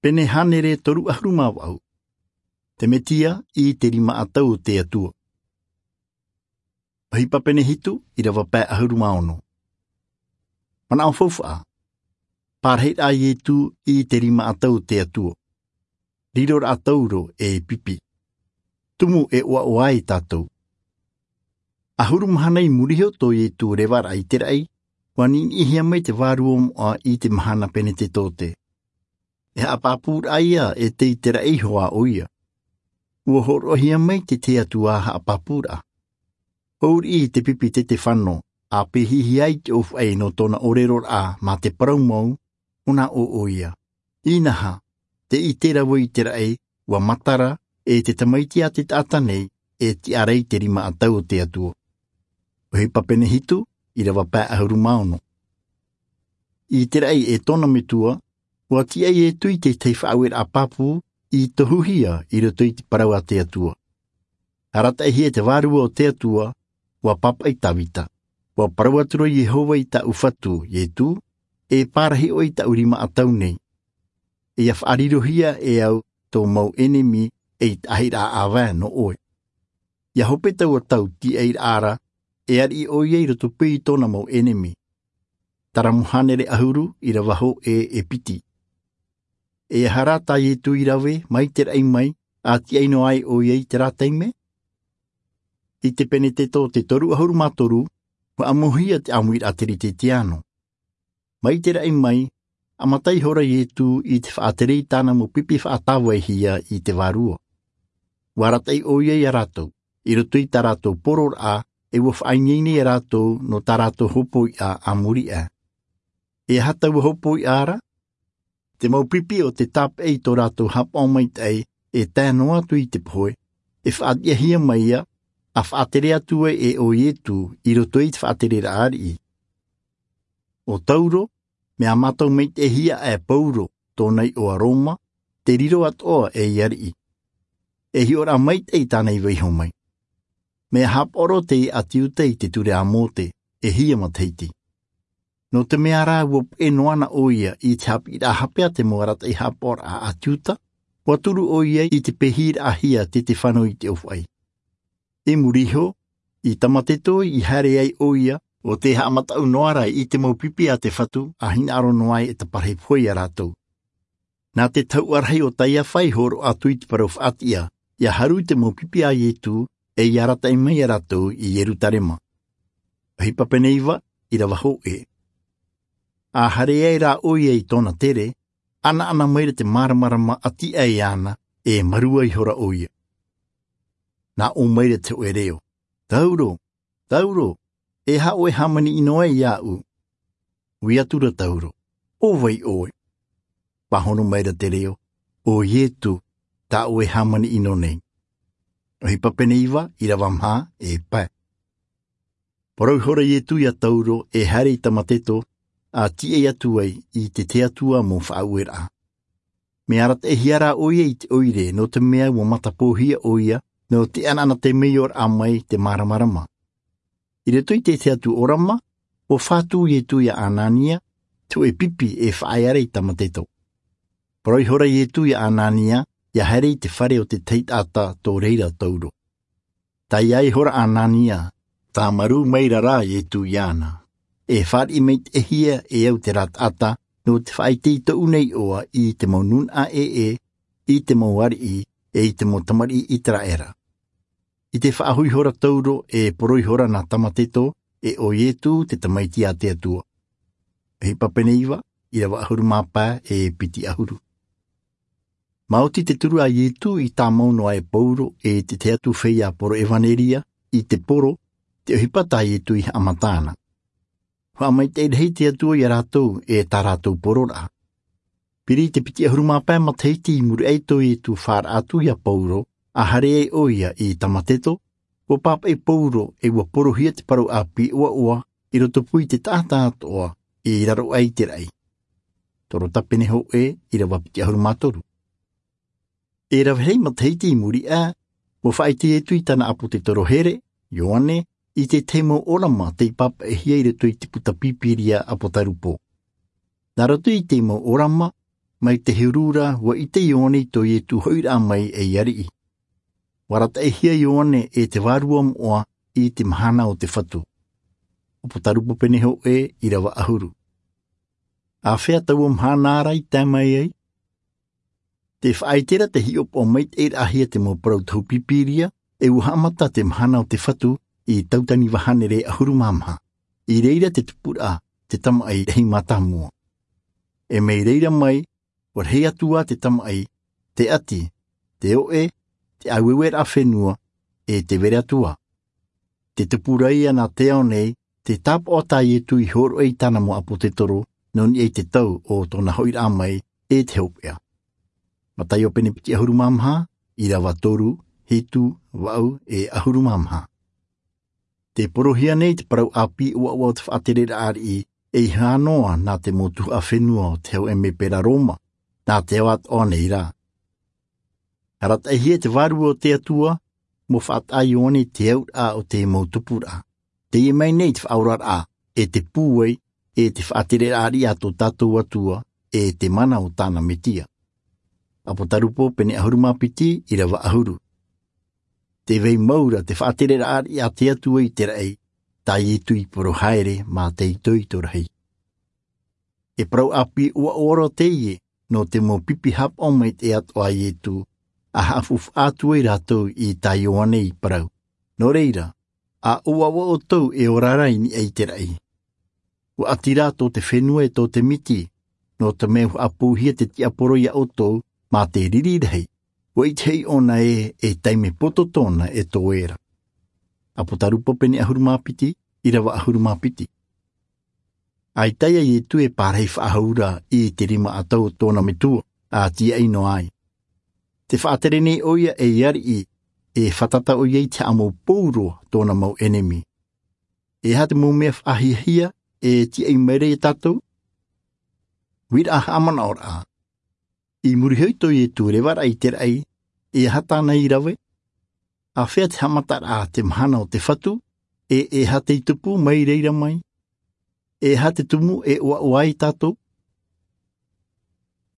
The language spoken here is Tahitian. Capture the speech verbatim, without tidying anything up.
Pene hānere toru ʻahuru mā vaʻu. Te Mesia i te rima ʻatau o te Atua. ʻOhipa pene hitu, ʻīrava pae ʻahuru mā ono. Manaʻo faufaʻa. Pārahiraʻa a Ietu i te rima ʻatau o te Atua. Riroraʻa tauro e pipi. Tumu e ʻoaʻoa ai tātou. ʻAhuru mahana i muri iho tō Ietu revaraʻa i te raʻi, ʻua niʻiniʻihia mai te Vārua Moʻa i te mahana Penetetote. E haʻapāpūraʻa ia e tei te raʻi iho ā ʻoia. ʻUa hōroʻahia mai te Atua haʻapāpūraʻa. Hou riʻi te pipi Tetefano, ʻa pēhihia ai te ʻōfaʻi nō tōna ʻōreroraʻa mā te parau mau, ʻo nā ʻō ʻoia. Inaha, tē ʻite ra vau i te raʻi, ʻua matara, e te Tamaiti a te taʻata nei, e tiʻa ra i te rima ʻatau o te Atua. ʻOhipa pene hitu, ʻīrava pae ʻahuru mā ono. I te raʻi e tōna metua, ʻua tiʻa Ietu i te tahi faʻaueraʻa pāpū, i tohuhia i roto i te parau a te Atua. Arataʻihia te Vārua o te Atua, ʻua pāpaʻi Tavita. ʻUa parau atu ra Iehova i tāʻu Fatu, Ietu, e pārahi ʻoe i tāʻu rima ʻatau nei. E ʻia faʻarirohia e au tō mau ʻenemi ei taʻahiraʻa ʻāvae nō ʻoe. ʻIa hope taua tau tiʻairaʻa ra, e ariʻi ʻoia i roto pū i tōna mau ʻenemi. Taramo hānere ʻahuru, ʻīrava hōʻē e piti. E aha rā tā Ietu i rave, mai te raʻi mai, ʻa tiʻa noa ai ʻoia i terā taime? I te Penetetote toru ʻahuru mā toru, ʻua ʻāmuhia te ʻāmuiraʻa Teretetiano. Mai te raʻi mai, ʻa mata ihora Ietu i te faʻatere i tāna mau pipi faʻatāvaihia i te Vārua. ʻUa arataʻi ʻoia ia rātou, i roto i tā rātou pororaʻa, e ʻua faʻaineine ia rātou nō tā rātou hopoiʻa a muri aʻe. E aha taua hopoiʻa ra? Te mau pipi o te tāpeʻa i tō rātou haʻapaʻo maitaʻi, e tae noa atu i te pohe, e faʻatiʻahia mai ia, ʻa faʻatere atu ai e ʻo Ietu i roto i te faʻatereraʻa ariʻi. ʻO Tauro, mea mātau maitaʻihia e Pauro, tōna iʻoa Roma, te riro atoʻa ei ariʻi. E hiʻoraʻa maitaʻi tāna i vaiiho mai. Mea haʻapaʻo roa te iʻa Iuta i te ture a Mōte, e hia matahiti. Nō te mea rā ʻua puʻe noa na ʻoia i te haʻapiʻiraʻa hape a te mau arataʻi haʻapaʻoraʻa a Iuta, ʻua turu ʻoia i te pēhiraʻahia Tetefano i te ʻōfaʻi. I muri iho, i Tamateto i haere ai ʻoia, ʻo tē haʻamataʻu noa ra i te mau pipi a te Fatu, ʻa hinaʻaro noa ai e taparahi pohe ia rātou. Nā te tahuʻa rahi o Taiafa i hōroʻa atu i te parau faʻatiʻa, ʻia haru i te mau pipi a Ietu, e ʻia arataʻi mai ia rātou i Ierutarema. ʻOhipa pene iva, ʻīrava hōʻē. ʻA haere ai rā ʻoia i tōna tere, ʻanaʻana mai ra te māramarama ʻati aʻe iāna, e marua ihora ʻoia. Nā ʻō mai ra te hōʻē reo, Tauro, Tauro, e aha ʻoe e hāmani ʻino ai iāʻu? Ui atu ra Tauro, ʻo vai ʻoe? Pāhono mai ra te reo, ʻo Ietu, tā ʻoe e hāmani ʻino nei. ʻOhipa pene iva, ʻīrava maha, e pae. Parau ihora Ietu ia Tauro, e haere i Tamateto, ʻa tiʻa atu ai i te Atua mau faʻaueraʻa. Mea arataʻihia rā ʻoia i te ʻoire, nō te mea ʻua matapōhia ʻoia, nō te ʻanaʻana temeioraʻa mai te māramarama. I roto i te tahi atu ʻōrama, ʻua fatu Ietu ia Anania, te hōʻē pipi e faʻaea ra i Tamateto. Parau ihora Ietu ia Anania, ʻia haere i te fare o te tahi taʻata tō reira Tauro. Taiā ihora Anania, tāmarū maira rā Ietu iāna. E fāriʻi maitaʻihia e au terā taʻata, nō te faʻaʻite i tōʻu nei iʻoa i te mau nūnaʻa ʻē, i te mau ariʻi, e i te mau tamariʻi ʻĪteraʻera. I te faʻahoʻi ihora Tauro, e parau ihora nā Tamateto, e ʻo Ietu te Tamaiti a te Atua. ʻOhipa pene iva, ʻīrava ʻahuru mā pae, e piti ʻahuru. Maoti te turu a Ietu i tāmau noa e Pauro e te tahi atu feiā poro ʻevaneria, i te poro, te ʻohipa tā Ietu i haʻamata na. Faʻamaitaʻi rahi te Atua ia rātou e tā rātou pororaʻa. Piri i te piti ʻahuru mā pae matahiti i muri aʻe tō Ietu fāraʻa atu ia Pauro, ʻa haere ai ʻoia i Tamateto, ʻua pāpaʻi Pauro e ʻua porohia te parau ʻāpī ʻoaʻoa i roto pū i te taʻata atoʻa i raro aʻe i te raʻi. Toro Tapene hōʻē, ʻīrava piti ʻahuru mā toru. E rave rahi matahiti i muri aʻe, ʻua faʻaʻite Ietu i tāna ʻāpōtetoro here, Ioane, i te tahi mau ʻōrama tei pāpaʻihia i roto i te puta Pīpīria ʻApotarupo. Nā roto i te mau ʻōrama, Mai te huru ra ua ʻite ioane i tō iesu hoʻiraʻa mai ei ariʻi. Ua arataʻihia ioane e te vārua moʻa i te mahana o te fatu. Apotarupo pene hōʻē, ʻirava ʻahuru. Āfea taua mahana ra i tae mai ai? Te faʻaite ra te hiʻopoʻa maitaʻiraʻahia te mau parau tohu pīpīria, e ua haʻamata te mahana o te fatu i tautani vahanere ʻahuru mā maha. I reira te tupuraʻa, te tamaʻi rahi mātāmua. E mai reira mai, ua rahi atu ā te tamaʻi, te ʻati, te oʻe, te ʻāueueraʻa fenua, e te vere atu ā. Te tupu ra ia nā te ao nei, te tāpaʻo tā iesu i hōroʻa i tāna mau ʻāpōsetolo, nō niʻa i te tau o tōna hoʻiraʻa mai, e te hopeʻa. Mataio pene piti ʻahuru mā maha, ʻirava toru, hitu, vaʻu, e ʻahuru mā maha. Te porohia nei te parau ʻāpī ʻoaʻoa o te faʻatereraʻa ariʻi, ei hā noa nā te mau tuhaʻa fenua o te hau emepera roma, nā te ao atoʻa nei rā. Arataʻihia te vārua o te atua, mau faʻataʻa ioane i te auraʻa o te mau tupuraʻa. Teie mai nei te faʻaoraraʻa, e te pūai, e te faʻatereraʻa ariʻi a tō tātou atua, e te mana o tāna mesia. Apotarupo pene ʻahuru mā piti, ʻirava ʻahuru. Te vai mau ra te faʻatereraʻa ariʻi a te atua i te raʻi, tā iesu i poro haere mā te itoito rahi. E parau ʻāpī ʻoaʻoa roa teie, nō te mau pipi hapaʻo maitaʻi atoʻa a iesu, a haʻafufaʻa atu ai rātou i tā ioane i parau. Nō reira, a ʻoaʻoa ʻoutou e ora ra i niʻa i te raʻi. Ua ʻati rā tō te fenua e tō te miti, nō te mea ua haʻapūhia te tiaporo iā ʻoutou, mā te riri rahi, ua ʻite hoʻi ʻōna ē, e taime poto tōna e toe ra. Apotarupo pene ʻahuru mā piti, ʻirava ʻahuru mā piti. ʻAita iesu e pārahi faʻahou ra i te rima ʻatau o tōna metua, a tiaʻi noa ai. Te faʻatere nei ʻoia ei ariʻi, e fātata ʻoia i te haʻamau pou roa tōna mau ʻenemi. E aha te mau mea faʻahiahia e tiaʻi mai ra iā tātou? Uiraʻa haʻamanaʻoraʻa. I muri iho i tō iesu revaraʻa i te raʻi, e aha tāna i rave? Āfea te haʻamataraʻa te mahana o te fatu, e e aha tei tupu mai reira mai? E aha te tumu e ʻoaʻoa ai tātou?